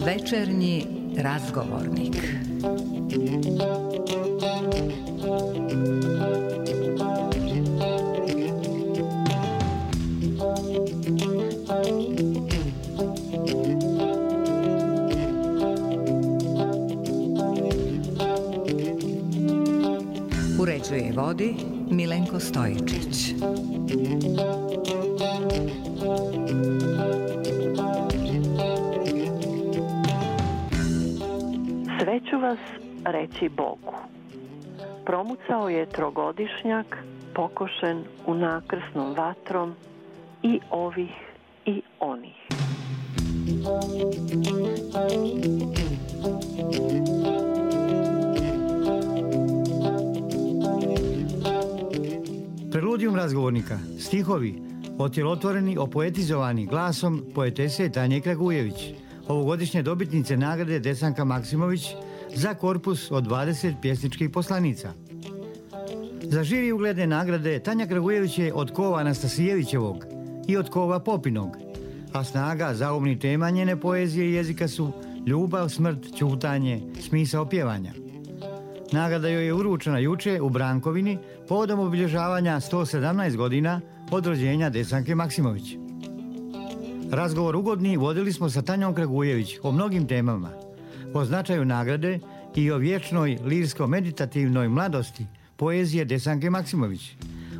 Večernji razgovornik. Uređuje i vodi Milenko Stojičić. Sve ću vas reći Bogu. Promucao je trogodišnjak, pokošen unakrsnom vatrom i ovih i onih. Preludijum razgovornika, stihovi, otjelotvoreni, opoetizovani glasom poetese Tanje Kragujević, ovogodišnje dobitnice nagrade Desanka Maksimović za korpus od 20 pjesničkih poslanica. Za žiri ugledne nagrade Tanja Kragujević je od kova Anastasijevićevog i od kova Popinog, a snaga, zaumni tema njene poezije i jezika su ljubav, smrt, ćutanje, smisao pjevanja. Nagrada joj je uručena juče u Brankovini povodom obilježavanja 117 godina od rođenja Desanke Maksimović. Razgovor ugodni vodili smo sa Tanjom Kragujević o mnogim temama, o značaju nagrade i o vječnoj lirsko-meditativnoj mladosti poezije Desanke Maksimović,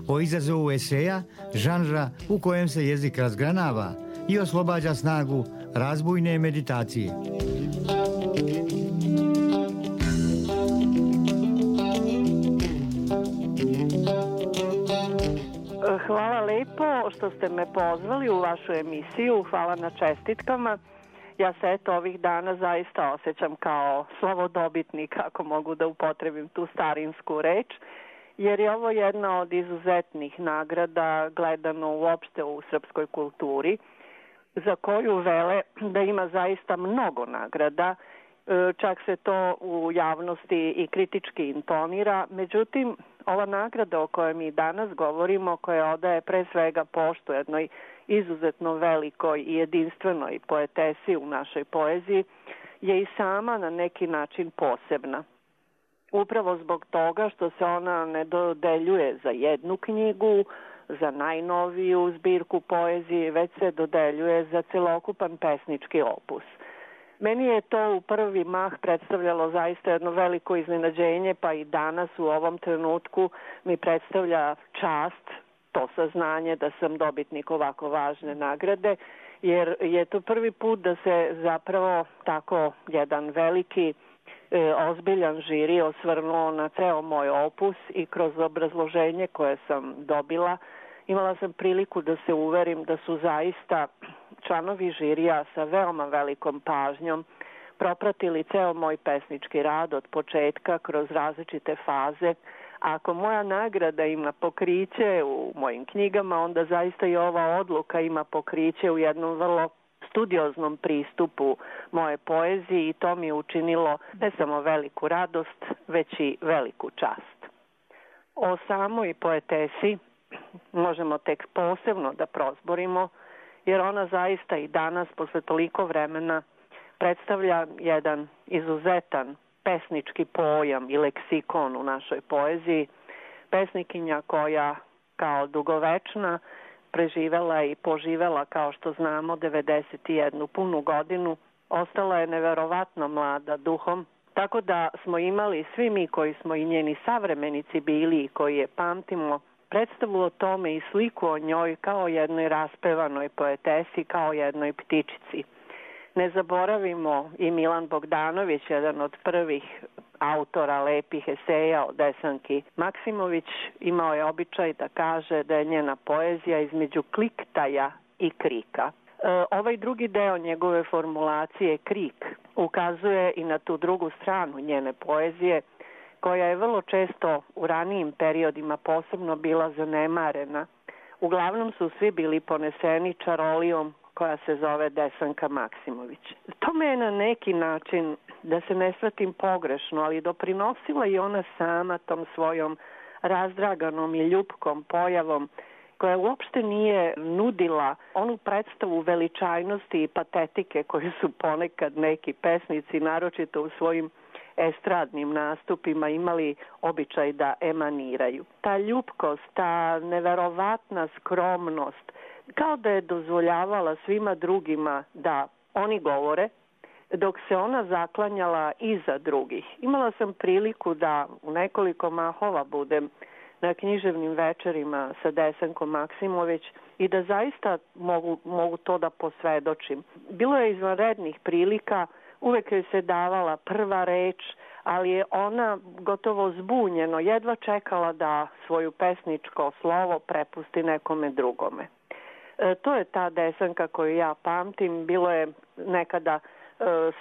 o izazovu eseja, žanra u kojem se jezik razgranava i oslobađa snagu razbujne meditacije. Hvala lepo što ste me pozvali u vašu emisiju, hvala na čestitkama. Ja se ovih dana zaista osjećam kao slavodobitnik, ako mogu da upotrebim tu starinsku reč, jer je ovo jedna od izuzetnih nagrada gledano uopšte u srpskoj kulturi, za koju vele da ima zaista mnogo nagrada, čak se to u javnosti i kritički intonira. Međutim, ova nagrada o kojoj mi danas govorimo, koja odaje pre svega poštu jednoj izuzetno velikoj i jedinstvenoj poetesi u našoj poeziji, je i sama na neki način posebna. Upravo zbog toga što se ona ne dodeljuje za jednu knjigu, za najnoviju zbirku poezije, već se dodeljuje za celokupan pesnički opus. Meni je to u prvi mah predstavljalo zaista jedno veliko iznenađenje, pa i danas u ovom trenutku mi predstavlja čast, to saznanje da sam dobitnik ovako važne nagrade, jer je to prvi put da se zapravo tako jedan veliki, ozbiljan žiri osvrnuo na ceo moj opus i kroz obrazloženje koje sam dobila imala sam priliku da se uverim da su zaista članovi žirija sa veoma velikom pažnjom propratili ceo moj pesnički rad od početka kroz različite faze. A ako moja nagrada ima pokriće u mojim knjigama, onda zaista i ova odluka ima pokriće u jednom vrlo studioznom pristupu moje poeziji i to mi je učinilo ne samo veliku radost, već i veliku čast. O samoj poetesi možemo tek posebno da prozborimo, jer ona zaista i danas, posle toliko vremena, predstavlja jedan izuzetan pesnički pojam i leksikon u našoj poeziji. Pesnikinja koja kao dugovečna preživela i poživela, kao što znamo, 91 punu godinu, ostala je neverovatno mlada duhom, tako da smo imali svi mi koji smo i njeni savremenici bili i koji je pamtimo, predstavu o tome i sliku o njoj kao jednoj raspevanoj poetesi, kao jednoj ptičici. Ne zaboravimo i Milan Bogdanović, jedan od prvih autora lepih eseja o Desanki Maksimović, imao je običaj da kaže da je njena poezija između kliktaja i krika. Ovaj drugi deo njegove formulacije, krik, ukazuje i na tu drugu stranu njene poezije, koja je vrlo često u ranijim periodima posebno bila zanemarena. Uglavnom su svi bili poneseni čarolijom koja se zove Desanka Maksimović. To me je na neki način da se ne shvatim pogrešno, ali doprinosila i ona sama tom svojom razdraganom i ljupkom pojavom, koja uopšte nije nudila onu predstavu veličajnosti i patetike koju su ponekad neki pesnici, naročito u svojim estradnim nastupima, imali običaj da emaniraju. Ta ljupkost, ta neverovatna skromnost, kao da je dozvoljavala svima drugima da oni govore, dok se ona zaklanjala iza drugih. Imala sam priliku da u nekoliko mahova budem na književnim večerima sa Desankom Maksimović i da zaista mogu to da posvedočim. Bilo je izvanrednih prilika, uvek joj se davala prva reč, ali je ona gotovo zbunjeno jedva čekala da svoju pesničko slovo prepusti nekome drugome. To je ta Desanka koju ja pamtim. Bilo je nekada,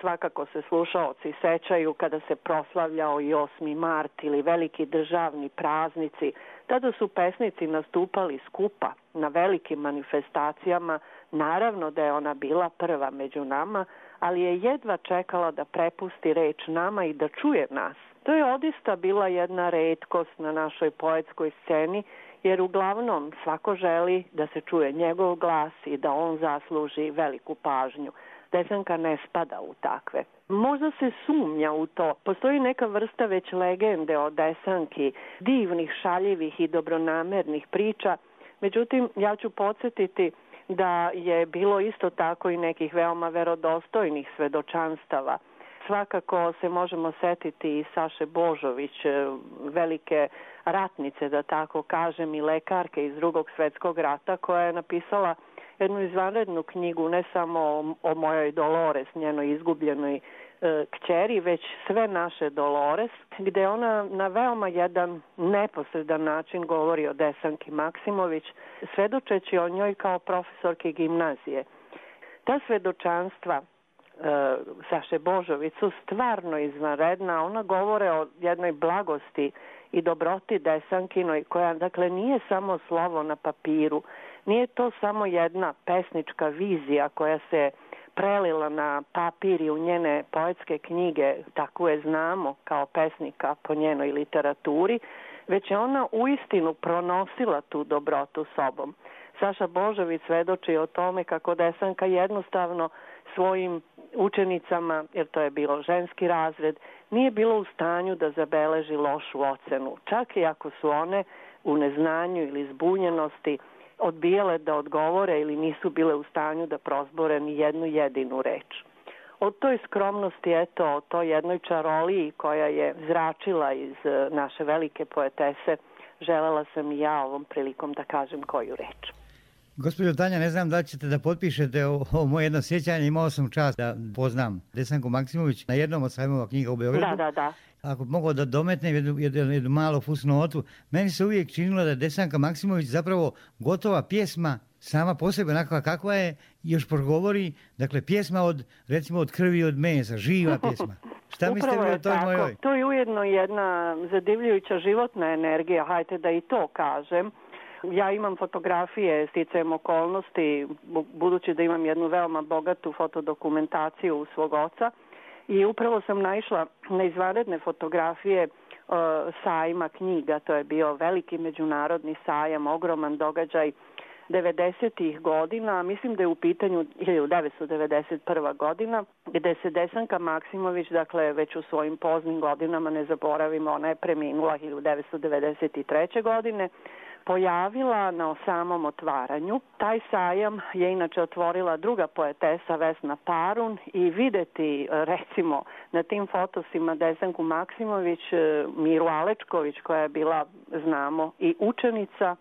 svakako se slušaoci sećaju, kada se proslavljao i 8. mart ili veliki državni praznici. Tada su pesnici nastupali skupa na velikim manifestacijama. Naravno da je ona bila prva među nama, ali je jedva čekala da prepusti reč nama i da čuje nas. To je odista bila jedna retkost na našoj poetskoj sceni, jer uglavnom svako želi da se čuje njegov glas i da on zasluži veliku pažnju. Desanka ne spada u takve. Možda se sumnja u to. Postoji neka vrsta već legende o Desanki, divnih, šaljivih i dobronamernih priča. Međutim, ja ću podsjetiti da je bilo isto tako i nekih veoma verodostojnih svedočanstava. Svakako se možemo setiti i Saše Božović, velike ratnice, da tako kažem, i lekarke iz Drugog svetskog rata, koja je napisala jednu izvanrednu knjigu, ne samo o mojoj Dolores, njenoj izgubljenoj kćeri, već sve naše Dolores, gde ona na veoma jedan neposredan način govori o Desanki Maksimović, svedočeći o njoj kao profesorke gimnazije. Ta svedočanstva Saše Božović su stvarno izvanredna. Ona govore o jednoj blagosti i dobroti Desankinoj, koja dakle nije samo slovo na papiru, nije to samo jedna pesnička vizija koja se prelila na papir i u njene poetske knjige, tako je znamo kao pesnika po njenoj literaturi, već je ona uistinu pronosila tu dobrotu sobom. Saša Božović svedoči o tome kako Desanka jednostavno svojim učenicama, jer to je bilo ženski razred, nije bilo u stanju da zabeleži lošu ocenu, čak i ako su one u neznanju ili zbunjenosti odbijale da odgovore ili nisu bile u stanju da prozbore ni jednu jedinu reč. O toj skromnosti, eto, o toj jednoj čaroliji koja je zračila iz naše velike poetese, želela sam i ja ovom prilikom da kažem koju reč. Gospođo Tanja, ne znam da li ćete da potpišete ovo moje jedno sjećanje. Imao sam čast da poznam Desanku Maksimović na jednom od sajmova knjiga u Beogradu. Da. Ako mogu da dometnem jednu malu fusnotu, meni se uvijek činilo da je Desanka Maksimović zapravo gotova pjesma sama po sebi, onakva kakva je, još progovori, dakle pjesma recimo od krvi i od mesa, živa pjesma. Šta mislite vi o toj mojoj? To je ujedno jedna zadivljujuća životna energija, hajte da i to kažem. Ja imam fotografije sticajem okolnosti, budući da imam jednu veoma bogatu fotodokumentaciju svog oca, i upravo sam naišla na izvanredne fotografije sajma knjiga. To je bio veliki međunarodni sajam, ogroman događaj 90-ih godina, mislim da je u pitanju 1991. godina, gde se Desanka Maksimović, dakle već u svojim poznim godinama, ne zaboravimo, ona je preminula 1993. godine, pojavila na samom otvaranju. Taj sajam je inače otvorila druga poetesa Vesna Parun i videti recimo na tim fotosima Desanku Maksimović, Miru Alečković, koja je bila, znamo, i učenica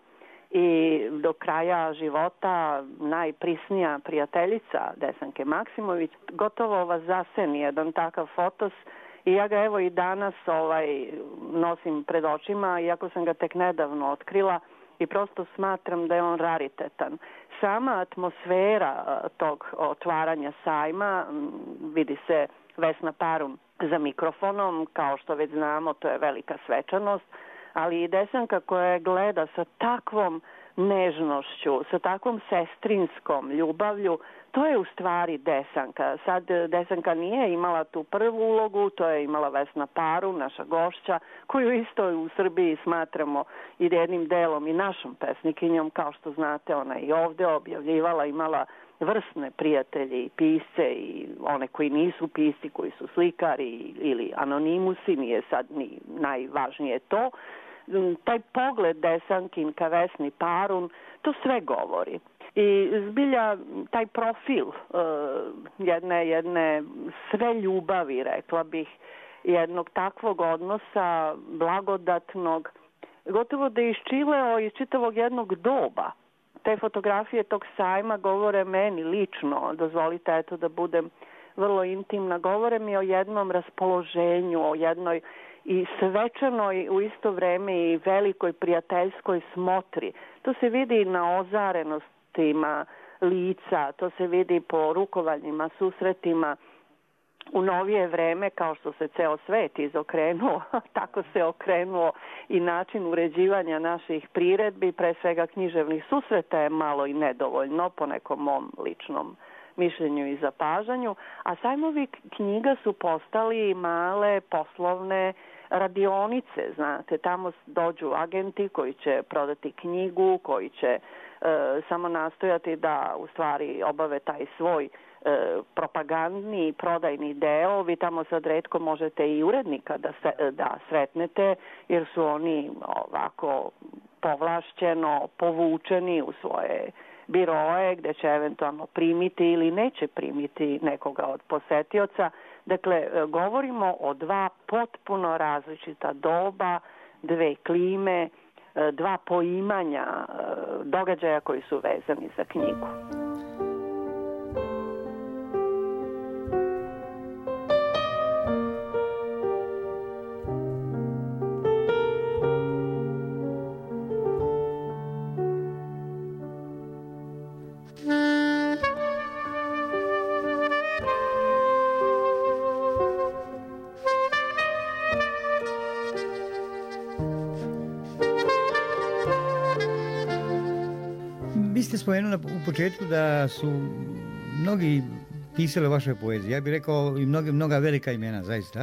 i do kraja života najprisnija prijateljica Desanke Maksimović, gotovo vas zaseni jedan takav fotos. I ja ga evo i danas nosim pred očima, iako sam ga tek nedavno otkrila, i prosto smatram da je on raritetan. Sama atmosfera tog otvaranja sajma, vidi se Vesna Parun za mikrofonom, kao što već znamo, to je velika svečanost, ali i Desanka koja gleda sa takvom nežnošću, sa takvom sestrinskom ljubavlju, to je u stvari Desanka. Sad Desanka nije imala tu prvu ulogu, to je imala Vesna Paru, naša gošća, koju isto u Srbiji smatramo i jednim delom i našom pesnikinjom. Kao što znate, ona i ovde objavljivala, imala vrsne prijatelje i pisce i one koji nisu pisci, koji su slikari ili anonimusi, nije sad ni najvažnije to. Taj pogled Desankin ka Vesni Parun, to sve govori. I zbilja taj profil jedne sve ljubavi, rekla bih, jednog takvog odnosa, blagodatnog, gotovo da je iščileo iz čitavog jednog doba. Te fotografije tog sajma govore meni lično, dozvolite eto da budem vrlo intimna, govore mi o jednom raspoloženju, o jednoj i svečanoj u isto vreme i velikoj prijateljskoj smotri. To se vidi i na ozarenostima lica, to se vidi po rukovanjima, susretima. U novije vreme, kao što se ceo svet izokrenuo, tako se okrenuo i način uređivanja naših priredbi, pre svega književnih susreta je malo i nedovoljno po nekom mom ličnom mišljenju i zapažanju, a sajmovi knjiga su postali male poslovne radionice, znate, tamo dođu agenti koji će prodati knjigu, koji će samo nastojati da u stvari obave taj svoj propagandni prodajni deo. Vi tamo sad retko možete i urednika da sretnete, jer su oni ovako povlašćeno povučeni u svoje biroe gde će eventualno primiti ili neće primiti nekoga od posetioca. Dakle, govorimo o dva potpuno različita doba, dve klime, dva poimanja događaja koji su vezani za knjigu. Vi ste spomenuli u početku da su mnogi pisali o vašoj poeziji. Ja bih rekao i mnoga velika imena, zaista.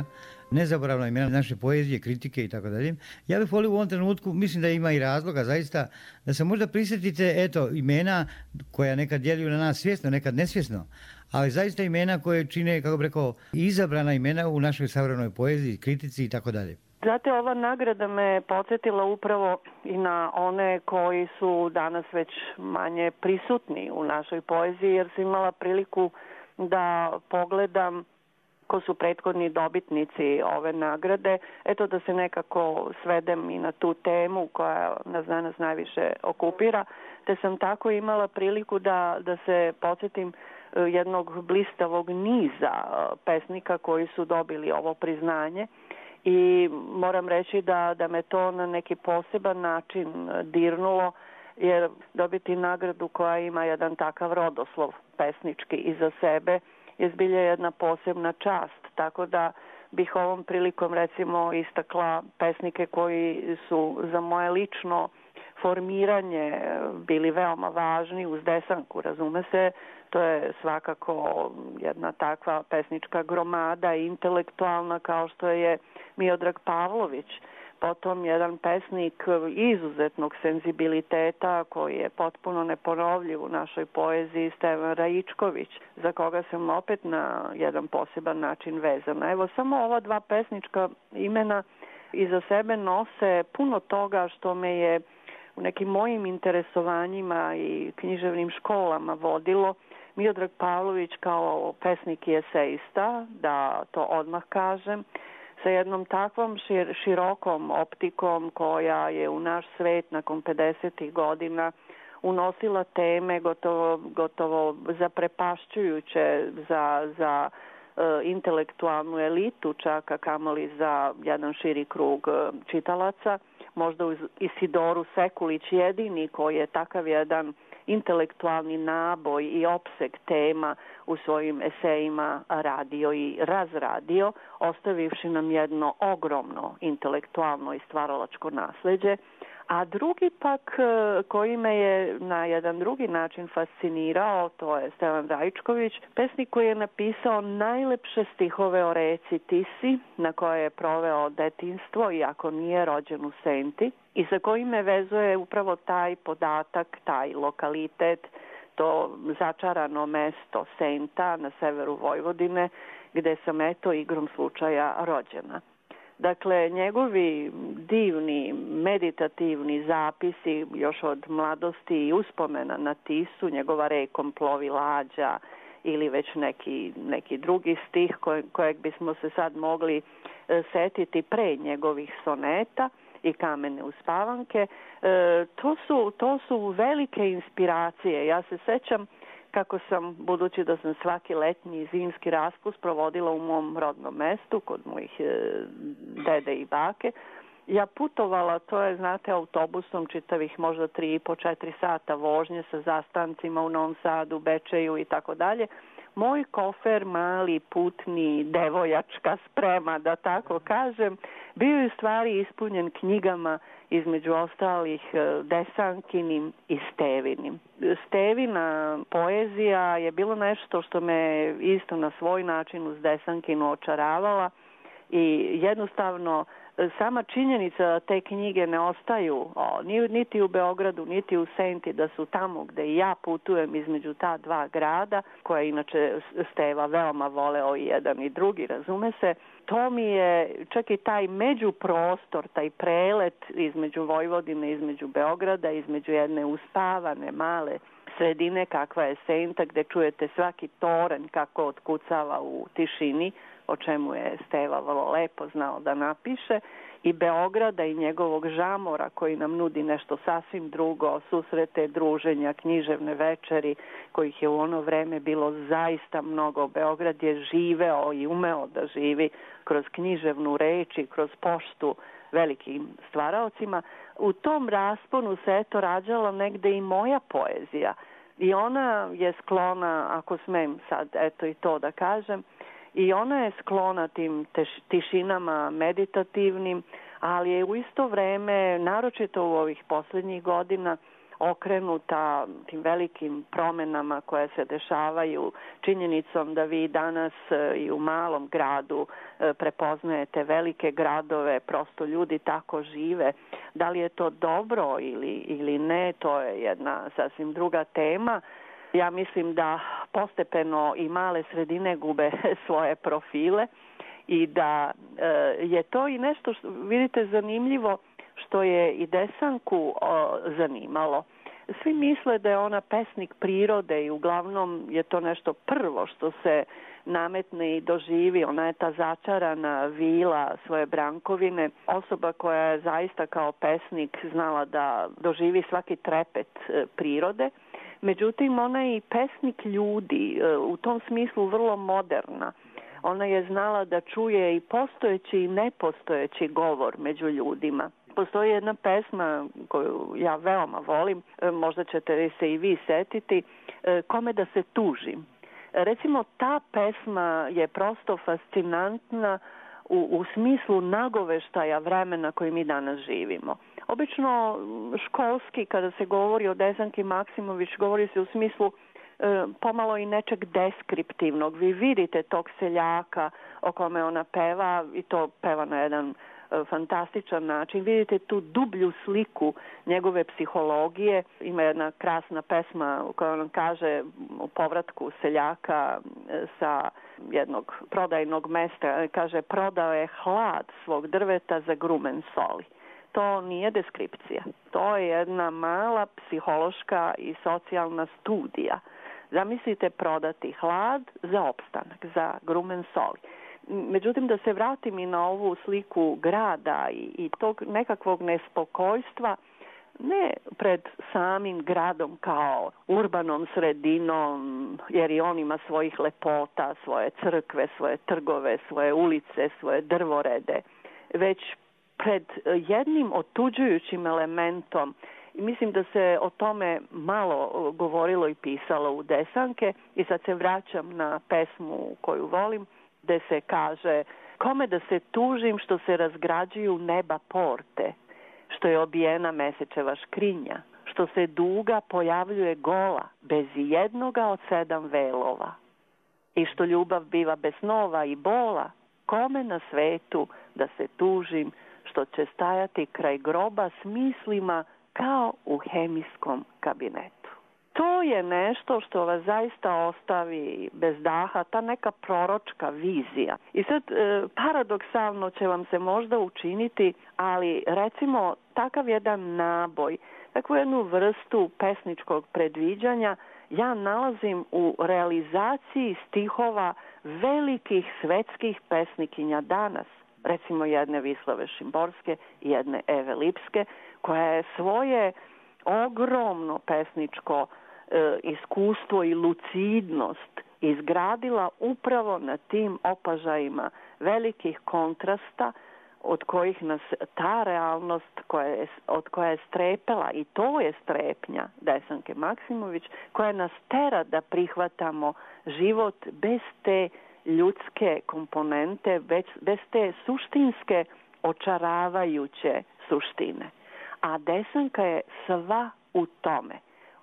Nezaboravna imena naše poezije, kritike i tako dalje. Ja bih volio u ovom trenutku, mislim da ima i razloga zaista, da se možda prisjetite imena koja nekad djeluju na nas svjesno, nekad nesvjesno, ali zaista imena koje čine, kako bih rekao, izabrana imena u našoj savremenoj poeziji, kritici i tako dalje. Znate, ova nagrada me podsjetila upravo i na one koji su danas već manje prisutni u našoj poeziji, jer sam imala priliku da pogledam ko su prethodni dobitnici ove nagrade. Eto da se nekako svedem i na tu temu koja nas danas najviše okupira, te sam tako imala priliku da se podsjetim jednog blistavog niza pesnika koji su dobili ovo priznanje. I moram reći da me to na neki poseban način dirnulo, jer dobiti nagradu koja ima jedan takav rodoslov pesnički iza sebe je zbilja jedna posebna čast. Tako da bih ovom prilikom recimo istakla pesnike koji su za moje lično formiranje bili veoma važni uz Desanku, razume se. To je svakako jedna takva pesnička gromada intelektualna kao što je Miodrag Pavlović. Potom jedan pesnik izuzetnog senzibiliteta koji je potpuno neponovljiv u našoj poeziji, Stevan Raičković, za koga sam opet na jedan poseban način vezana. Evo, samo ova dva pesnička imena iza sebe nose puno toga što me je u nekim mojim interesovanjima i književnim školama vodilo. Miodrag Pavlović kao pesnik i esejista, da to odmah kažem, sa jednom takvom širokom optikom koja je u naš svet nakon 50. godina unosila teme gotovo zaprepašćujuće za intelektualnu elitu, čak a kamoli za jedan širi krug čitalaca. Možda uz Isidoru Sekulić jedini koji je takav jedan intelektualni naboj i opseg tema u svojim esejima radio i razradio, ostavivši nam jedno ogromno intelektualno i stvaralačko nasleđe. A drugi pak koji me je na jedan drugi način fascinirao, to je Stevan Raičković, pesnik koji je napisao najlepše stihove o reci Tisi, na kojoj je proveo detinjstvo, iako nije rođen u Senti, i sa kojim me vezuje upravo taj podatak, taj lokalitet, to začarano mesto Senta na severu Vojvodine, gde sam igrom slučaja rođena. Dakle, njegovi divni, meditativni zapisi još od mladosti i uspomena na Tisu, njegova rekom plovi lađa ili već neki drugi stih kojeg bismo se sad mogli setiti pre njegovih soneta i Kamene uspavanke, to su velike inspiracije. Ja se sećam kako sam, budući da sam svaki letnji i zimski raspust provodila u mom rodnom mestu, kod mojih dede i bake, ja putovala, to je, znate, autobusom čitavih možda 3,5-4 sata vožnje sa zastancima u Novom Sadu, Bečeju i tako dalje. Moj kofer, mali, putni, devojačka sprema, da tako kažem, bio je u stvari ispunjen knjigama, između ostalih Desankinim i Stevinim. Stevina poezija je bilo nešto što me isto na svoj način uz Desankinu očaravala i jednostavno sama činjenica da te knjige ne ostaju niti u Beogradu, niti u Senti, da su tamo gde i ja putujem između ta dva grada, koja inače Steva veoma voleo i jedan i drugi, razume se, to mi je čak i taj međuprostor, taj prelet između Vojvodine, između Beograda, između jedne uspavane male sredine kakva je Senta, gde čujete svaki toranj kako otkucava u tišini, o čemu je Steva vrlo lepo znao da napiše, i Beograda i njegovog žamora koji nam nudi nešto sasvim drugo, susrete, druženja, književne večeri, kojih je u ono vreme bilo zaista mnogo. Beograd je živeo i umeo da živi kroz književnu reč i kroz poštu velikim stvaraocima. U tom rasponu se rađala negde i moja poezija i ona je sklona, ako smem sad i to da kažem, i ona je sklona tim tišinama meditativnim, ali je u isto vreme, naročito u ovih posljednjih godina, okrenuta tim velikim promenama koje se dešavaju, činjenicom da vi danas i u malom gradu prepoznajete velike gradove, prosto ljudi tako žive. Da li je to dobro ili ne, to je jedna sasvim druga tema. Ja mislim da postepeno i male sredine gube svoje profile i da je to i nešto što, vidite, zanimljivo, što je i Desanku zanimalo. Svi misle da je ona pesnik prirode i uglavnom je to nešto prvo što se nametne i doživi. Ona je ta začarana vila svoje Brankovine, osoba koja je zaista kao pesnik znala da doživi svaki trepet prirode. Međutim, ona je i pesnik ljudi, u tom smislu vrlo moderna. Ona je znala da čuje i postojeći i nepostojeći govor među ljudima. Postoji jedna pesma koju ja veoma volim, možda ćete se i vi setiti, Kome da se tužim. Recimo, ta pesma je prosto fascinantna u smislu nagoveštaja vremena koji mi danas živimo. Obično školski, kada se govori o Desanki Maksimović, govori se u smislu pomalo i nečeg deskriptivnog. Vi vidite tog seljaka o kome ona peva i to peva na jedan fantastičan način. Vidite tu dublju sliku njegove psihologije. Ima jedna krasna pesma u kojoj on kaže o povratku seljaka sa jednog prodajnog mesta. Kaže, prodao je hlad svog drveta za grumen soli. To nije deskripcija. To je jedna mala psihološka i socijalna studija. Zamislite prodati hlad za opstanak, za grumen soli. Međutim, da se vratim i na ovu sliku grada i tog nekakvog nespokojstva, ne pred samim gradom kao urbanom sredinom, jer i on ima svojih lepota, svoje crkve, svoje trgove, svoje ulice, svoje drvorede, već pred jednim otuđujućim elementom. I mislim da se o tome malo govorilo i pisalo u Desanke i sad se vraćam na pesmu koju volim, gde se kaže: kome da se tužim što se razgrađuju neba porte, što je obijena Mesečeva škrinja, što se duga pojavljuje gola, bez jednoga od 7 velova, i što ljubav biva bez snova i bola, kome na svetu da se tužim, što će stajati kraj groba s mislima kao u hemijskom kabinetu. To je nešto što vas zaista ostavi bez daha, ta neka proročka vizija. I sad paradoksalno će vam se možda učiniti, ali recimo takav jedan naboj, takvu jednu vrstu pesničkog predviđanja ja nalazim u realizaciji stihova velikih svetskih pesnikinja danas. Recimo jedne Vislave Šimborske i jedne Eve Lipske, koja je svoje ogromno pesničko iskustvo i lucidnost izgradila upravo na tim opažajima velikih kontrasta od kojih nas ta realnost od koje je strepela, i to je strepnja Desanke Maksimović, koja nas tera da prihvatamo život bez te ljudske komponente, bez te suštinske očaravajuće suštine. A Desanka je sva u tome,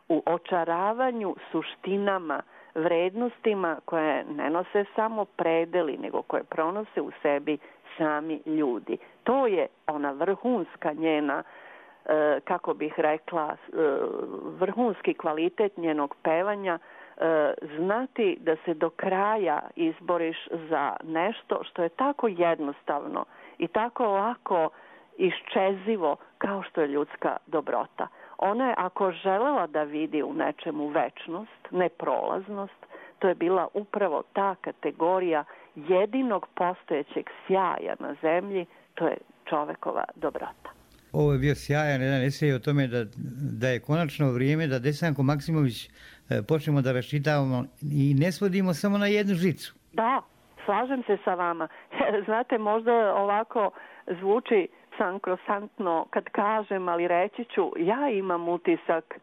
u očaravanju suštinama, vrednostima koje ne nose samo predeli, nego koje pronose u sebi sami ljudi. To je ona vrhunska njena, kako bih rekla, vrhunski kvalitet njenog pevanja, znati da se do kraja izboriš za nešto što je tako jednostavno i tako lako iščezivo kao što je ljudska dobrota. Ona je, ako želela da vidi u nečemu večnost, neprolaznost, to je bila upravo ta kategorija jedinog postojećeg sjaja na zemlji, to je čovekova dobrota. Ovo je bio sjajan jedan esej o tome da je konačno vrijeme da Desanku Maksimović počnemo da raščitavamo i ne svodimo samo na jednu žicu. Da, slažem se sa vama. Znate, možda ovako zvuči sankrosantno kad kažem, ali reći ću, ja imam utisak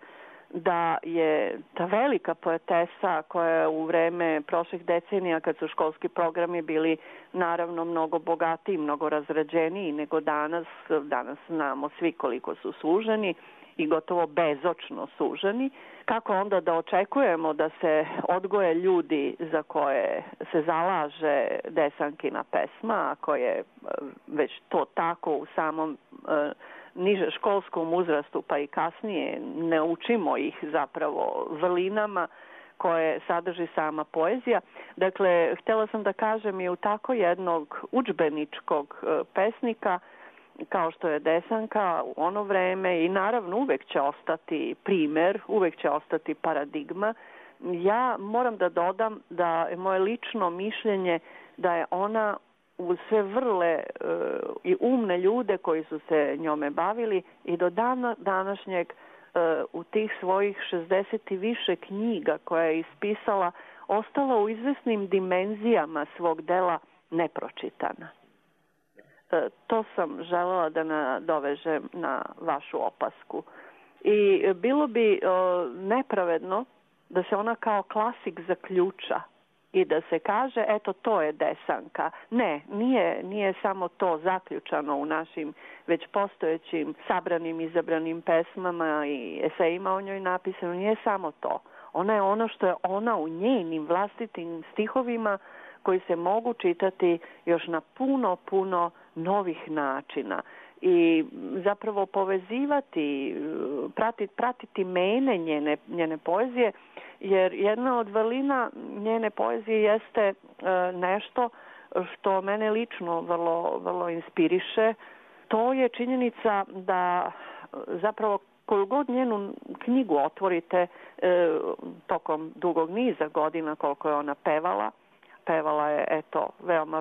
da je ta velika poetesa koja je u vreme prošlih decenija, kad su školski programi bili naravno mnogo bogatiji, mnogo razrađeniji nego danas znamo svi koliko su suženi i gotovo bezočno suženi, kako onda da očekujemo da se odgoje ljudi za koje se zalaže Desankina pesma, ako je već to tako u samom niže školskom uzrastu, pa i kasnije ne učimo ih zapravo vrlinama koje sadrži sama poezija. Dakle, htjela sam da kažem i u tako jednog udžbeničkog pesnika kao što je Desanka u ono vreme, i naravno uvek će ostati primer, uvek će ostati paradigma. Ja moram da dodam da je moje lično mišljenje da je ona uz sve vrle i umne ljude koji su se njome bavili i do dana današnjeg u tih svojih 60 i više knjiga koje je ispisala ostala u izvesnim dimenzijama svog dela nepročitana. To sam želela da nadovežem na vašu opasku. I bilo bi nepravedno da se ona kao klasik zaključa i da se kaže, eto, to je Desanka. Ne, nije samo to zaključano u našim već postojećim sabranim, izabranim pesmama i esejima o njoj napisano. Nije samo to. Ona je ono što je ona u njenim vlastitim stihovima koji se mogu čitati još na puno novih načina i zapravo povezivati, pratiti mene njene poezije, jer jedna od vrlina njene poezije jeste nešto što mene lično vrlo inspiriše. To je činjenica da zapravo koju god njenu knjigu otvorite tokom dugog niza godina koliko je ona pevala je, eto,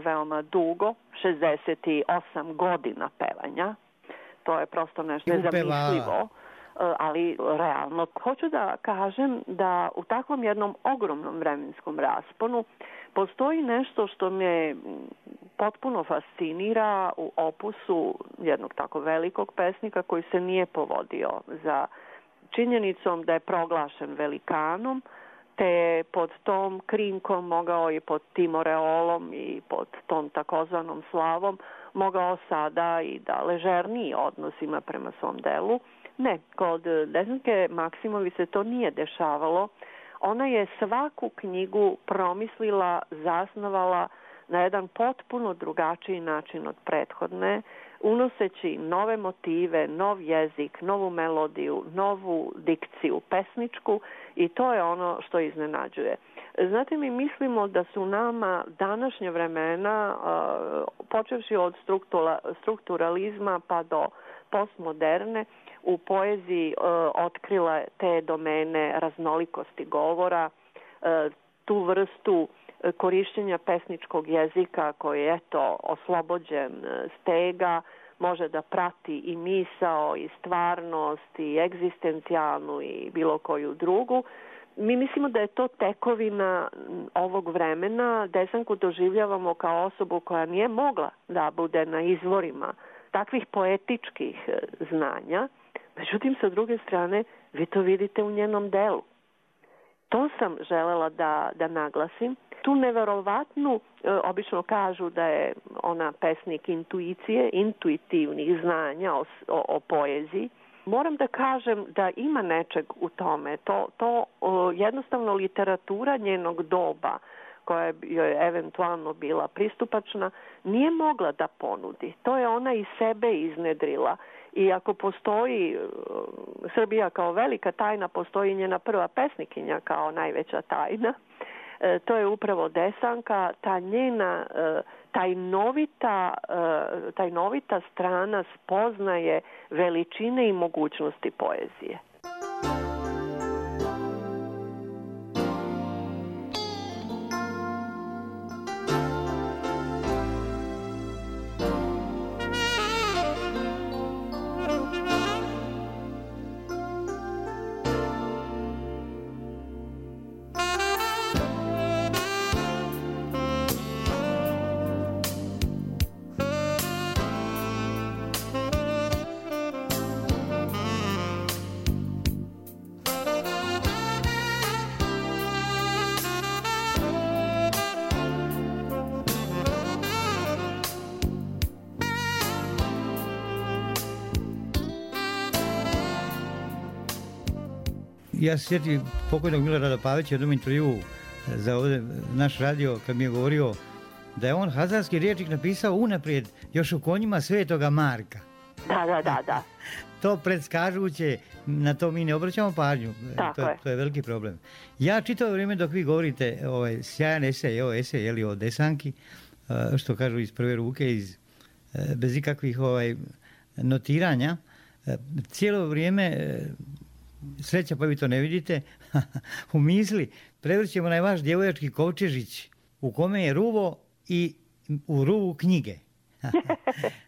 veoma dugo, 68 godina pevanja. To je prosto nešto nezamislivo, ali realno. Hoću da kažem da u takvom jednom ogromnom vremenskom rasponu postoji nešto što me potpuno fascinira u opusu jednog tako velikog pesnika koji se nije povodio za činjenicom da je proglašen velikanom, te pod tom krinkom mogao i pod tim oreolom i pod tom takozvanom slavom mogao sada i da ležerniji odnos ima prema svom delu. Ne, kod Desanke Maksimović se to nije dešavalo. Ona je svaku knjigu promislila, zasnovala na jedan potpuno drugačiji način od prethodne, unoseći nove motive, nov jezik, novu melodiju, novu dikciju pesničku, i to je ono što iznenađuje. Znate, mi mislimo da su nama današnje vremena, počevši od strukturalizma pa do postmoderne, u poeziji otkrila te domene raznolikosti govora, tu vrstu korišćenja pesničkog jezika koji je oslobođen stega, može da prati i misao, i stvarnost, i egzistencijalnu, i bilo koju drugu. Mi mislimo da je to tekovina ovog vremena. Desanku doživljavamo kao osobu koja nije mogla da bude na izvorima takvih poetičkih znanja. Međutim, sa druge strane, vi to vidite u njenom delu. To sam želela da naglasim. Tu neverovatnu, obično kažu da je ona pesnik intuicije, intuitivnih znanja o poeziji. Moram da kažem da ima nečeg u tome. To jednostavno literatura njenog doba, koja joj je eventualno bila pristupačna, nije mogla da ponudi. To je ona iz sebe iznedrila. I ako postoji Srbija kao velika tajna, postoji njena prva pesnikinja kao najveća tajna. To je upravo Desanka, ta njena tajnovita strana spoznaje veličine i mogućnosti poezije. Ja se sjetim pokojnog Milorada Pavića u jednom intervjuu za ovdje naš radio, kad mi je govorio da je on hazarski rječnik napisao unaprijed još u Konjima Svetoga Marka. Da. To predskažuće, na to mi ne obraćamo pažnju. To je veliki problem. Ja čitavo vrijeme dok vi govorite sjajan esej, o Desanki, što kažu iz prve ruke, bez ikakvih notiranja, cijelo vrijeme, sreća pa vi to ne vidite, u misli prevrćemo onaj vaš djevojački kovčežić u kome je ruvo i u ruvu knjige.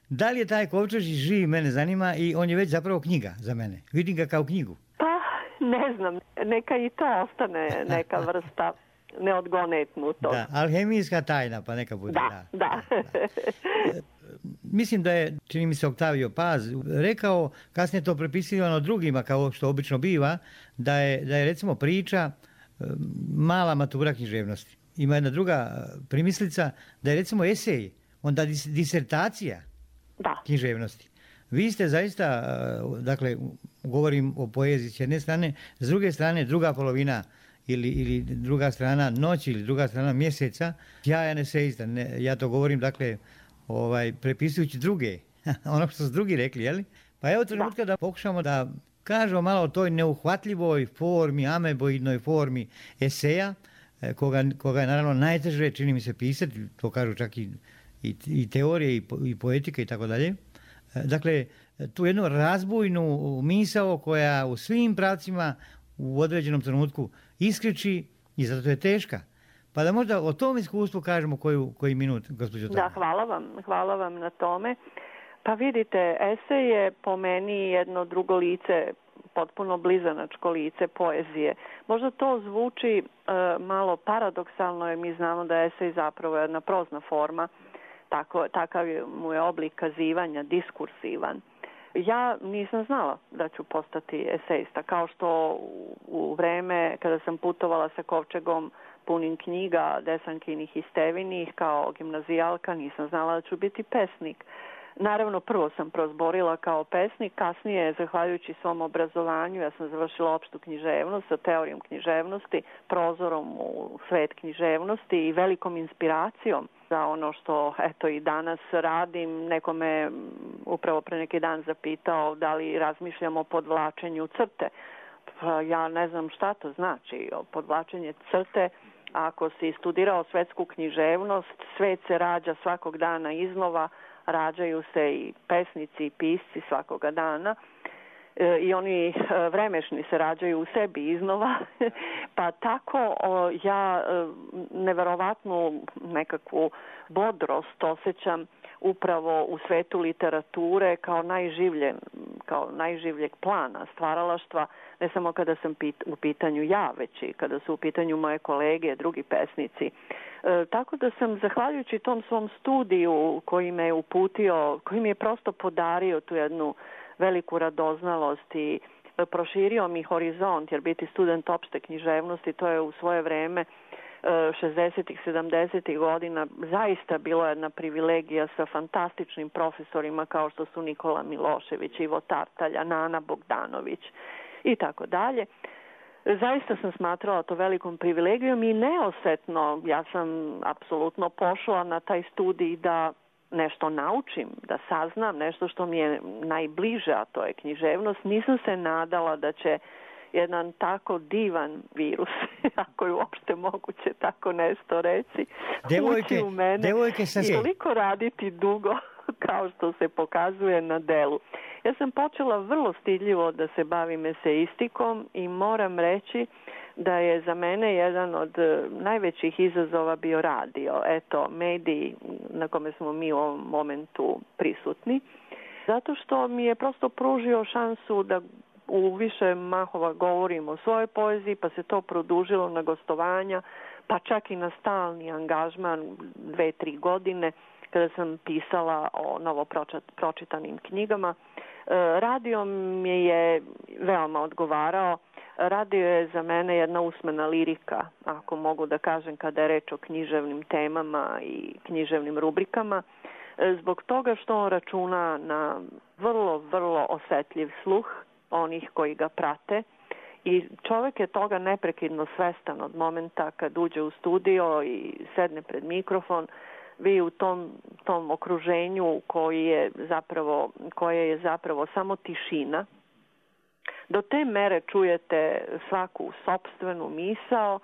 Da li je taj kovčežić živ, mene zanima, i on je već zapravo knjiga za mene. Vidim ga kao knjigu. Pa, ne znam, neka i to ostane neka vrsta neodgonetnutog. Da, alhemijska tajna, pa neka bude. Da. Mislim da je, čini mi se, Oktavio Paz rekao, kasnije to prepisivano drugima, kao što obično biva, da je recimo priča mala matura književnosti. Ima jedna druga primislica, da je recimo esej, onda disertacija književnosti. Vi ste zaista, dakle, govorim o poeziji s jedne strane, s druge strane druga polovina ili druga strana noći ili druga strana mjeseca, sjajan esejista. Ja to govorim, dakle, prepisujući druge, ono što su drugi rekli, jeli? Pa evo trenutka da pokušamo da kažemo malo o toj neuhvatljivoj formi, ameboidnoj formi eseja, koga je naravno najteže, čini mi se, pisati, to kažu čak i teorije i poetika i tako dalje. Dakle, tu jednu razbojnu misao koja u svim pravcima u određenom trenutku iskriči i zato je teška. Pa da možda o tom iskustvu kažemo koji minut, gospođo Tanja. Da, hvala vam na tome. Pa vidite, esej je po meni jedno drugo lice, potpuno blizanačko lice poezije. Možda to zvuči malo paradoksalno, jer mi znamo da je esej zapravo jedna prozna forma, takav mu je oblik kazivanja, diskursivan. Ja nisam znala da ću postati esejista, kao što u vreme kada sam putovala sa kovčegom punim knjiga Desankinih i Stevinih, kao gimnazijalka nisam znala da ću biti pesnik. Naravno, prvo sam prozborila kao pesnik, kasnije, zahvaljujući svom obrazovanju, ja sam završila opštu književnost sa teorijom književnosti, prozorom u svet književnosti i velikom inspiracijom za ono što eto i danas radim. Neko me upravo pre neki dan zapitao da li razmišljam o podvlačenju crte. Pa ja ne znam šta to znači, podvlačenje crte. Ako si studirao svetsku književnost, svet se rađa svakog dana iznova, rađaju se i pesnici i pisci svakoga dana i oni vremešni se rađaju u sebi iznova, pa tako ja neverovatnu nekakvu bodrost osjećam upravo u svetu literature kao najživljeg plana stvaralaštva, ne samo kada sam u pitanju ja, već i kada su u pitanju moje kolege, drugi pesnici. Tako da sam, zahvaljujući tom svom studiju koji me je uputio, koji mi je prosto podario tu jednu veliku radoznalost i proširio mi horizont, jer biti student opšte književnosti, to je u svoje vreme 60-ih, 70-ih godina zaista bila jedna privilegija sa fantastičnim profesorima kao što su Nikola Milošević, Ivo Tartalja, Nana Bogdanović i tako dalje. Zaista sam smatrala to velikom privilegijom i neosetno ja sam apsolutno pošla na taj studij da nešto naučim, da saznam nešto što mi je najbliže, a to je književnost. Nisam se nadala da će jedan tako divan virus, ako je uopšte moguće tako nešto reći, ući u mene i toliko raditi dugo kao što se pokazuje na delu. Ja sam počela vrlo stidljivo da se bavim eseistikom i moram reći da je za mene jedan od najvećih izazova bio radio. Eto, mediji na kome smo mi u ovom momentu prisutni. Zato što mi je prosto pružio šansu da u više mahova govorim o svojoj poeziji, pa se to produžilo na gostovanja, pa čak i na stalni angažman 2-3 godine kada sam pisala o novo pročitanim knjigama. Radio mi je veoma odgovarao. Radio je za mene jedna usmena lirika, ako mogu da kažem, kada je reč o književnim temama i književnim rubrikama, zbog toga što on računa na vrlo, vrlo osetljiv sluh onih koji ga prate i čovjek je toga neprekidno svestan od momenta kad uđe u studio i sedne pred mikrofon. Vi u tom okruženju koje je zapravo samo tišina, do te mere čujete svaku sopstvenu misao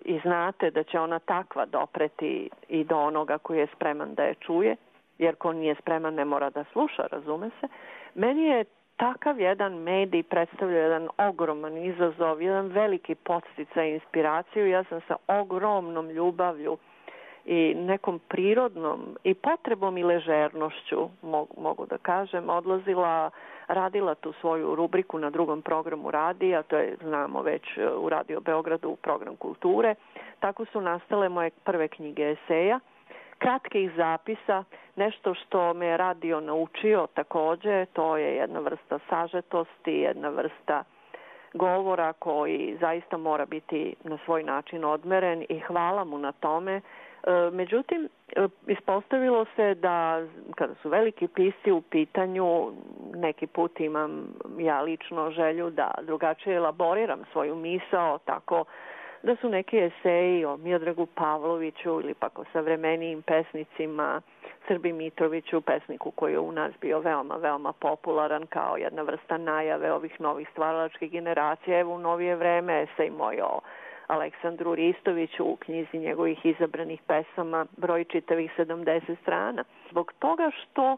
i znate da će ona takva dopreti i do onoga koji je spreman da je čuje, jer ko nije spreman ne mora da sluša, razume se. Meni je takav jedan medij predstavlja jedan ogroman izazov, jedan veliki podsticaj i inspiraciju. Ja sam sa ogromnom ljubavlju i nekom prirodnom i potrebom i ležernošću, mogu da kažem, radila tu svoju rubriku na drugom programu radija, to je, znamo već, u Radio Beogradu, u program kulture. Tako su nastale moje prve knjige eseja, kratkih zapisa, nešto što me je radio naučio takođe, to je jedna vrsta sažetosti, jedna vrsta govora koji zaista mora biti na svoj način odmeren i hvala mu na tome. Međutim, ispostavilo se da kada su veliki pisci u pitanju, neki put imam ja lično želju da drugačije elaboriram svoju misao, tako da su neki eseji o Miodragu Pavloviću ili pak o savremenijim pesnicima, Srbi Mitroviću, pesniku koji je u nas bio veoma, veoma popularan kao jedna vrsta najave ovih novih stvaralačkih generacija. Evo u novije vreme esej moj o Aleksandru Ristoviću u knjizi njegovih izabranih pesama, broj čitavih 70 strana. Zbog toga što,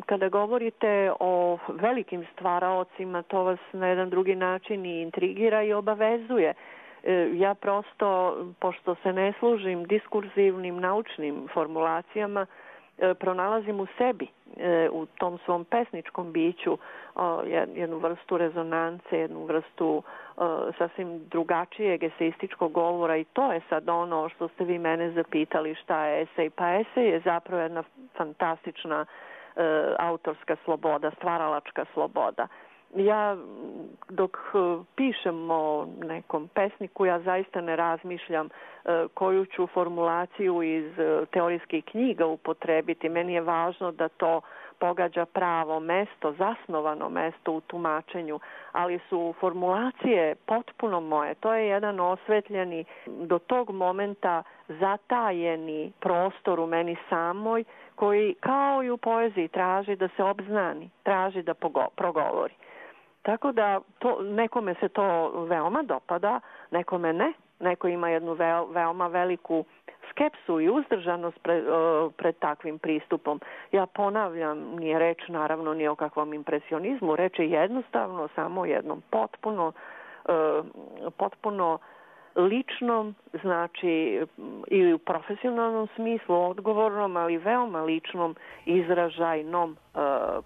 kada govorite o velikim stvaraocima, to vas na jedan drugi način i intrigira i obavezuje. Ja prosto, pošto se ne služim diskurzivnim naučnim formulacijama, pronalazim u sebi, u tom svom pesničkom biću, jednu vrstu rezonance, jednu vrstu sasvim drugačijeg eseističkog govora i to je sad ono što ste vi mene zapitali šta je esej. Pa esej je zapravo jedna fantastična autorska sloboda, stvaralačka sloboda. Ja dok pišem o nekom pesniku, ja zaista ne razmišljam koju ću formulaciju iz teorijskih knjiga upotrebiti. Meni je važno da to pogađa pravo mesto, zasnovano mesto u tumačenju, ali su formulacije potpuno moje. To je jedan osvetljeni, do tog momenta zatajeni prostor u meni samoj, koji kao i u poeziji traži da se obznani, traži da progovori. Tako da nekome se to veoma dopada, nekome ne. Neko ima jednu veoma veliku skepsu i uzdržanost pred takvim pristupom. Ja ponavljam, nije reč naravno ni o kakvom impresionizmu, reč je jednostavno samo jednom potpuno ličnom, znači i u profesionalnom smislu odgovornom, ali veoma ličnom izražajnom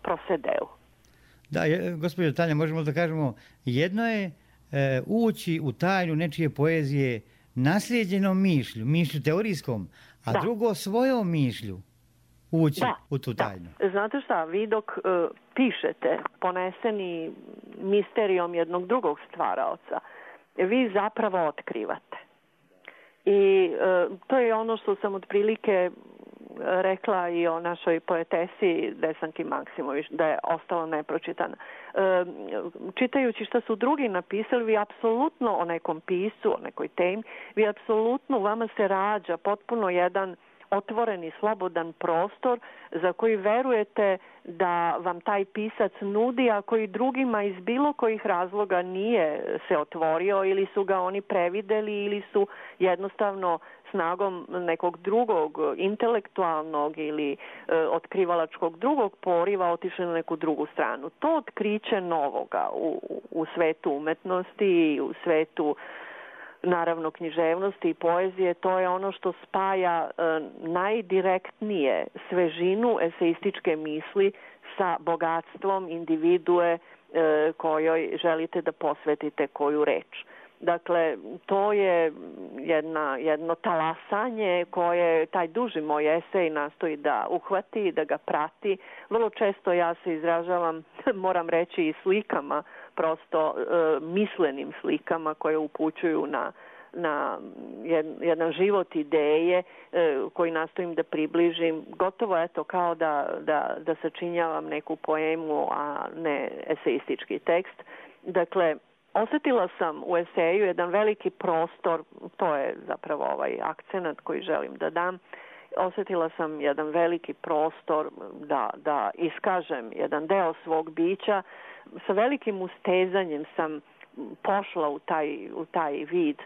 prosedeu. Da, gospođo Tanja, možemo da kažemo, jedno je ući u tajnu nečije poezije naslijeđenom mišlju teorijskom, a drugo svojom mišlju ući u tu tajnu. Znate šta, vi dok pišete poneseni misterijom jednog drugog stvaraoca, vi zapravo otkrivate. I to je ono što sam otprilike rekla i o našoj poetesi Desanki Maksimović, da je ostala nepročitana. Čitajući šta su drugi napisali, vi apsolutno o nekom piscu, o nekoj temi, vi apsolutno, vama se rađa potpuno jedan otvoreni, slobodan prostor za koji verujete da vam taj pisac nudi, a koji drugima iz bilo kojih razloga nije se otvorio ili su ga oni prevideli ili su jednostavno snagom nekog drugog intelektualnog ili otkrivalačkog drugog poriva otišli na neku drugu stranu. To otkriće novoga u svetu umetnosti i u svetu naravno književnosti i poezije, to je ono što spaja najdirektnije svežinu eseističke misli sa bogatstvom individue kojoj želite da posvetite koju reč. Dakle, to je jedno talasanje koje taj duži moj esej nastoji da uhvati, da ga prati. Vrlo često ja se izražavam, moram reći, i slikama, prosto mislenim slikama koje upućuju na jedan život ideje koji nastojim da približim. Gotovo eto kao da sačinjavam neku poemu, a ne eseistički tekst. Dakle, osetila sam u eseju jedan veliki prostor, to je zapravo ovaj akcenat koji želim da dam, osetila sam jedan veliki prostor da iskažem jedan deo svog bića. Sa velikim ustezanjem sam pošla u taj vid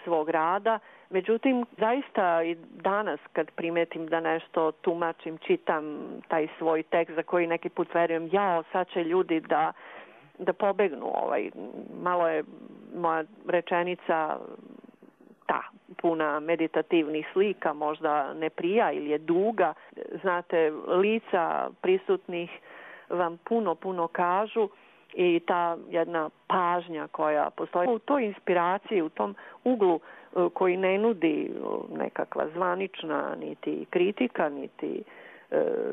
svog rada. Međutim, zaista i danas kad primetim da nešto tumačim, čitam taj svoj tekst za koji neki put verujem, sad će ljudi da pobegnu. Malo je moja rečenica puna meditativnih slika, možda ne prija ili je duga. Znate, lica prisutnih vam puno kažu i ta jedna pažnja koja postoji u toj inspiraciji, u tom uglu koji ne nudi nekakva zvanična niti kritika, niti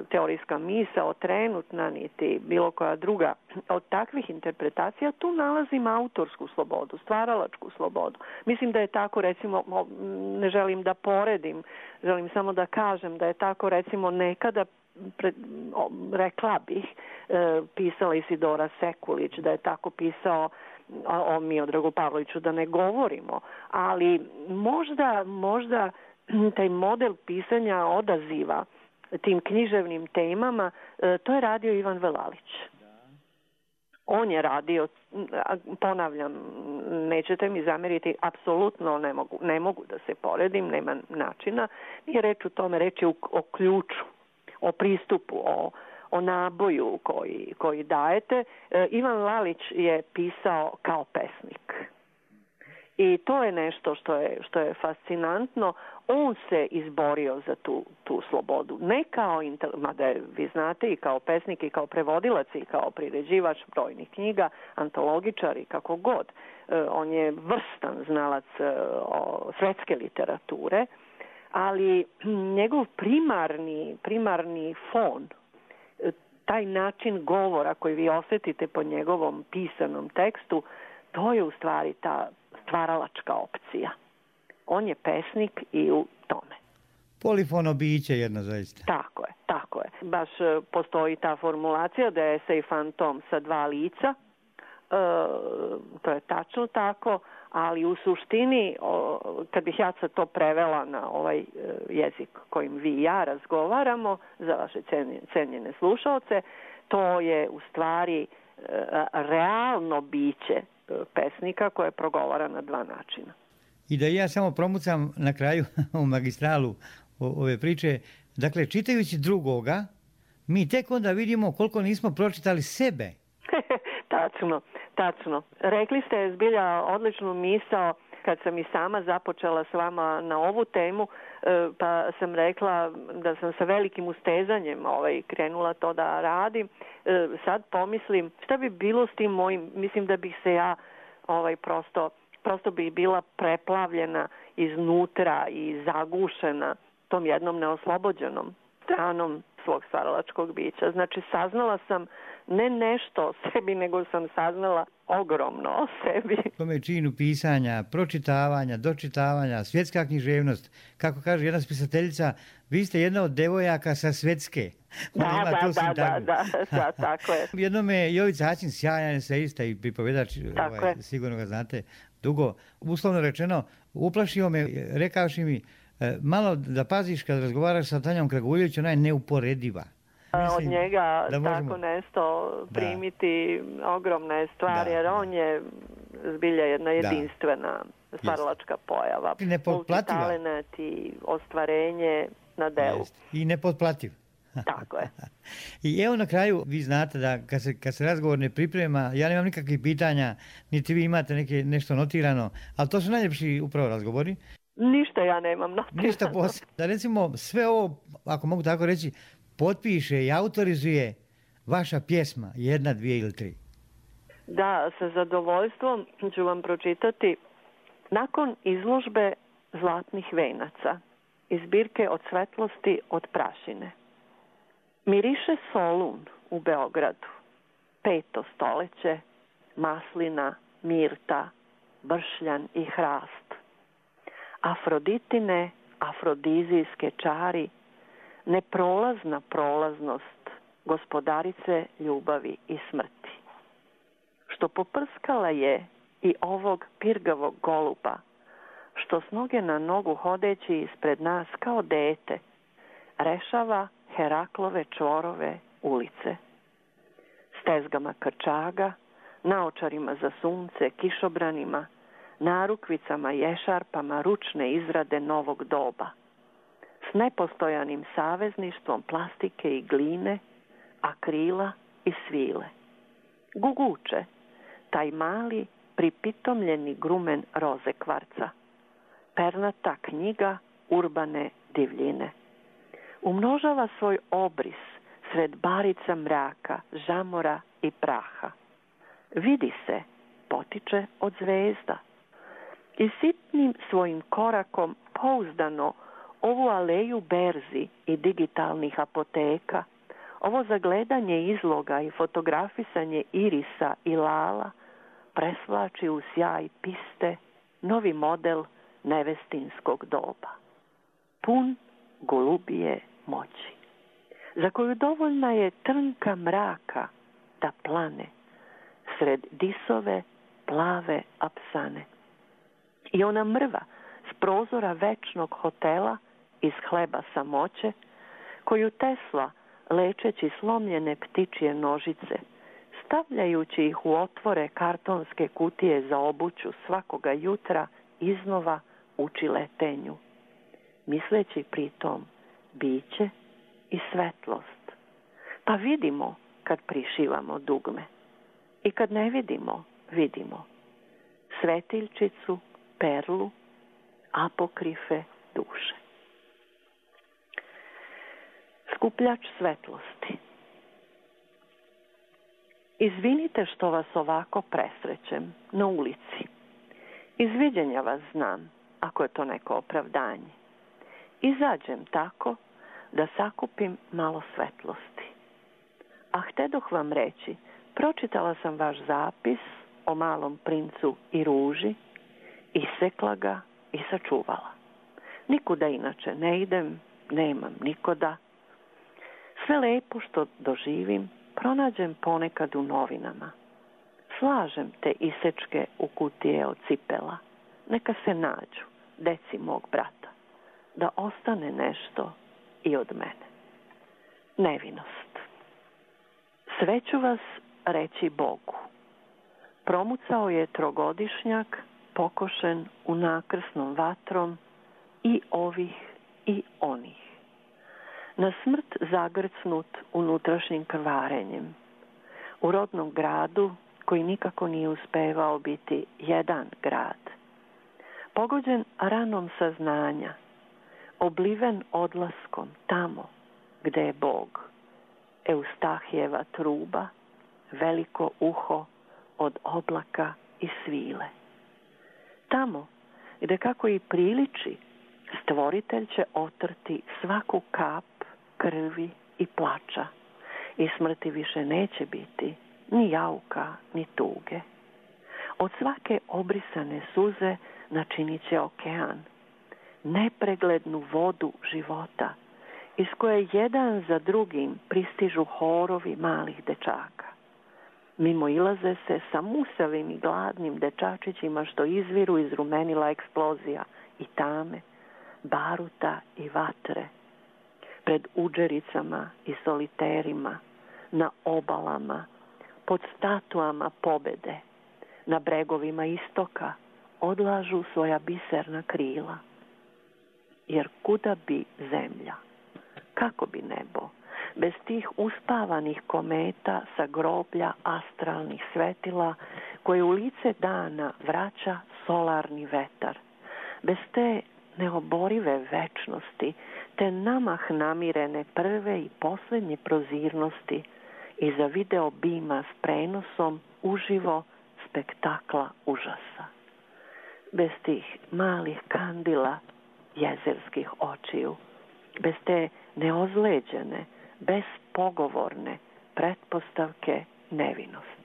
teorijska misao trenutna, niti bilo koja druga od takvih interpretacija, tu nalazim autorsku slobodu, stvaralačku slobodu. Mislim da je tako, recimo, ne želim da poredim, želim samo da kažem da je tako, recimo, nekada rekla bih, pisala Isidora Sekulić, da je tako pisao o Miodragu Pavloviću, da ne govorimo, ali možda taj model pisanja odaziva tim književnim temama, to je radio Ivan Velalić. On je radio, ponavljam, nećete mi zameriti, apsolutno ne mogu da se poredim, nema načina. Nije reč o tome, reč je o ključu, o pristupu, o naboju koji dajete. Ivan Lalić je pisao kao pesnik. I to je nešto što je fascinantno. On se izborio za tu slobodu. Ne kao, mada vi znate, i kao pesnik, i kao prevodilac, i kao priređivač brojnih knjiga, antologičar i kako god. On je vrstan znalac svetske literature, ali njegov primarni fon, taj način govora koji vi osjetite po njegovom pisanom tekstu, to je u stvari ta stvaralačka opcija. On je pesnik i u tome. Polifono biće jedno zaista. Tako je, tako je. Baš postoji ta formulacija da je esej fantom sa dva lica. To je tačno tako, ali u suštini, kad bih ja sad to prevela na ovaj jezik kojim vi i ja razgovaramo, za vaše cenjene slušalce, to je u stvari realno biće pesnika koje progovara na dva načina. I da ja samo promucam na kraju u magistralu ove priče, dakle, čitajući drugoga, mi tek onda vidimo koliko nismo pročitali sebe. Tačno. Rekli ste zbilja odličnu misao kad sam i sama započela s vama na ovu temu, pa sam rekla da sam sa velikim ustezanjem krenula to da radim. Sad pomislim šta bi bilo s tim mojim, mislim da bih se ja prosto bi bila preplavljena iznutra i zagušena tom jednom neoslobođenom stranom svog stvaralačkog bića. Znači, saznala sam ne nešto o sebi, nego sam saznala ogromno o sebi. Tome činu pisanja, pročitavanja, dočitavanja, svjetska književnost. Kako kaže jedna spisateljica, vi ste jedna od devojaka sa svjetske. Da, tako je. Jednom je Jovica Haćin, sjajan eseista i pripovedač, sigurno ga znate dugo, uslovno rečeno, uplašio me, rekavši mi, malo da paziš kad razgovaraš sa Tanjom Kragujević, ona je neuporediva. Od njega tako nešto primiti ogromne stvari, jer on je zbilja jedna jedinstvena stvaralačka pojava. Multitalenat i ostvarenje na delu. I nepotplativ. Tako je. I evo na kraju, vi znate da kad se razgovor ne priprema, ja nemam nikakvih pitanja, niti vi imate nešto notirano, ali to su najljepši upravo razgovori. Ništa ja nemam notirano. Ništa posebno. Da recimo sve ovo, ako mogu tako reći, potpiše i autorizuje vaša pjesma, 1, 2 ili 3. Da, sa zadovoljstvom ću vam pročitati. Nakon izložbe Zlatnih venaca iz zbirke Od svetlosti, od prašine. Miriše Solun u Beogradu, 5. stoljeće, maslina, mirta, bršljan i hrast. Afroditine, afrodizijske čari, neprolazna prolaznost gospodarice ljubavi i smrti. Što poprskala je i ovog pirgavog goluba, što s noge na nogu hodeći ispred nas kao dete, rešava Heraklove čvorove ulice. Stezgama krčaga, naočarima za sunce, kišobranima, narukvicama i ešarpama ručne izrade novog doba, s nepostojanim savezništvom plastike i gline, akrila i svile. Guguče, taj mali pripitomljeni grumen roze kvarca, pernata knjiga urbane divljine. Umnožava svoj obris sred barica mraka, žamora i praha. Vidi se, potiče od zvezda. I sitnim svojim korakom pouzdano ovu aleju berzi i digitalnih apoteka, ovo zagledanje izloga i fotografisanje irisa i lala presvlači u sjaj piste novi model nevestinskog doba. Pun golubije moći, za koju dovoljna je trnka mraka da plane sred disove plave apsane. I ona mrva s prozora večnog hotela iz hleba samoće, koju Tesla, lečeći slomljene ptičje nožice, stavljajući ih u otvore kartonske kutije za obuću svakoga jutra, iznova uči letenju, misleći pritom biće i svetlost. Pa vidimo kad prišivamo dugme i kad ne vidimo, vidimo svetiljčicu, perlu, apokrife duše. Skupljač svetlosti. Izvinite što vas ovako presrećem na ulici. Iz viđenja vas znam, ako je to neko opravdanje. Izađem tako da sakupim malo svetlosti. A htedoh vam reći, pročitala sam vaš zapis o malom princu i ruži, isekla ga i sačuvala. Nikuda inače ne idem, nemam nikoda. Sve lepo što doživim, pronađem ponekad u novinama. Slažem te isečke u kutije od cipela. Neka se nađu, deci mog brata, da ostane nešto i od mene. Nevinost. Sve ću vas reći Bogu. Promucao je trogodišnjak, pokošen u nakrsnom vatrom, i ovih i onih. Na smrt zagrcnut unutrašnjim krvarenjem. U rodnom gradu koji nikako nije uspevao biti jedan grad. Pogođen ranom saznanja, obliven odlaskom tamo gde je Bog. Eustahijeva truba, veliko uho od oblaka i svile. Tamo gde, kako i priliči, Stvoritelj će otrti svaku kap krvi i plača i smrti više neće biti ni jauka ni tuge. Od svake obrisane suze načinit će okean, nepreglednu vodu života, iz koje jedan za drugim pristižu horovi malih dečaka. Mimo ilaze se sa musavim i gladnim dečačićima što izviru iz rumenila eksplozija i tame, baruta i vatre, pred udžericama i soliterima, na obalama, pod statuama pobede, na bregovima istoka odlažu svoja biserna krila. Jer kuda bi zemlja, kako bi nebo, bez tih uspavanih kometa sa groblja astralnih svetila koje u lice dana vraća solarni vetar, bez te neoborive večnosti, te namah namirene prve i posljednje prozirnosti iza video bima s prenosom uživo spektakla užasa. Bez tih malih kandila jezerskih očiju, bez te neozleđene, bespogovorne pretpostavke nevinosti.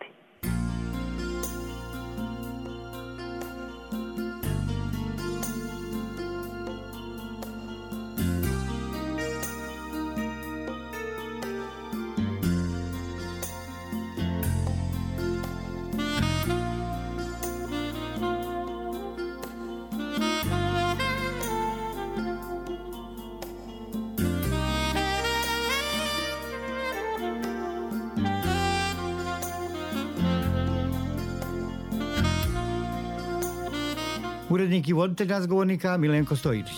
Urednik i voditelj razgovornika Milenko Stojičić.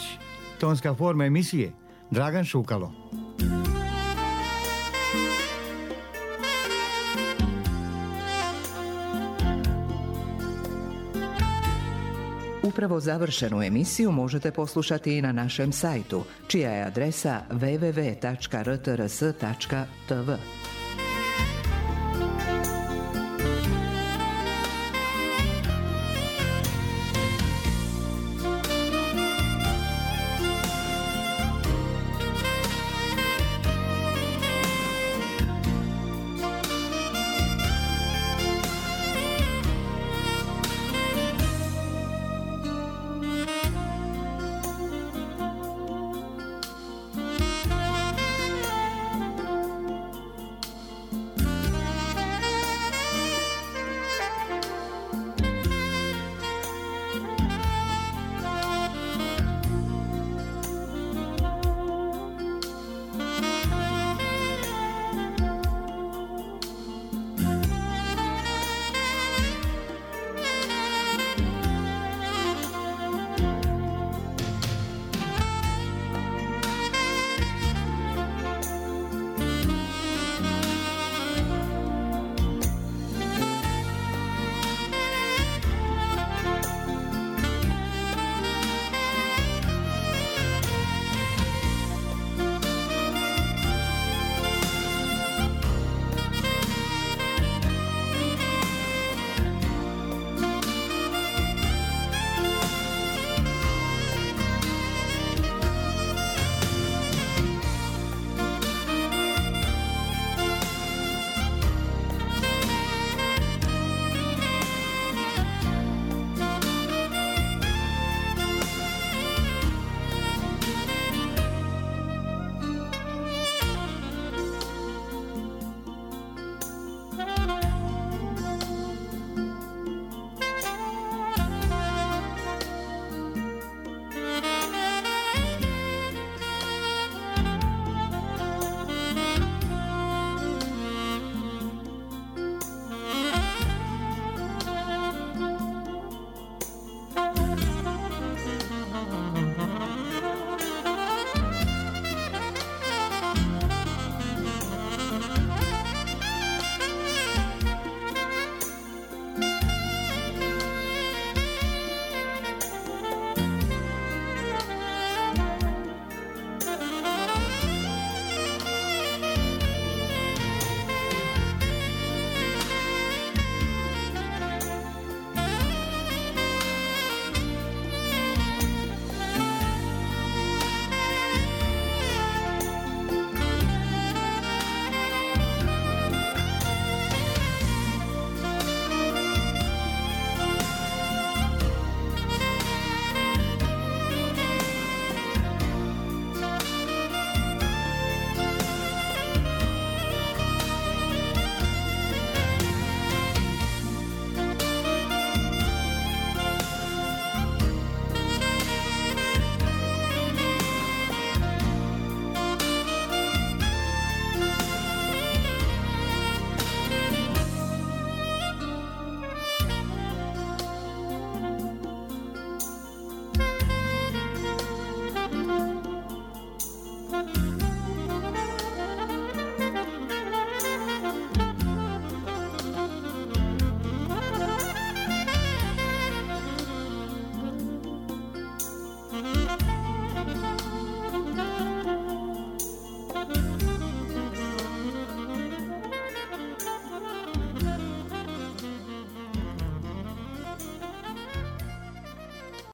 Tonska forma emisije Dragan Šukalo. Upravo završenu emisiju možete poslušati i na našem sajtu, čija je adresa www.rtrs.tv.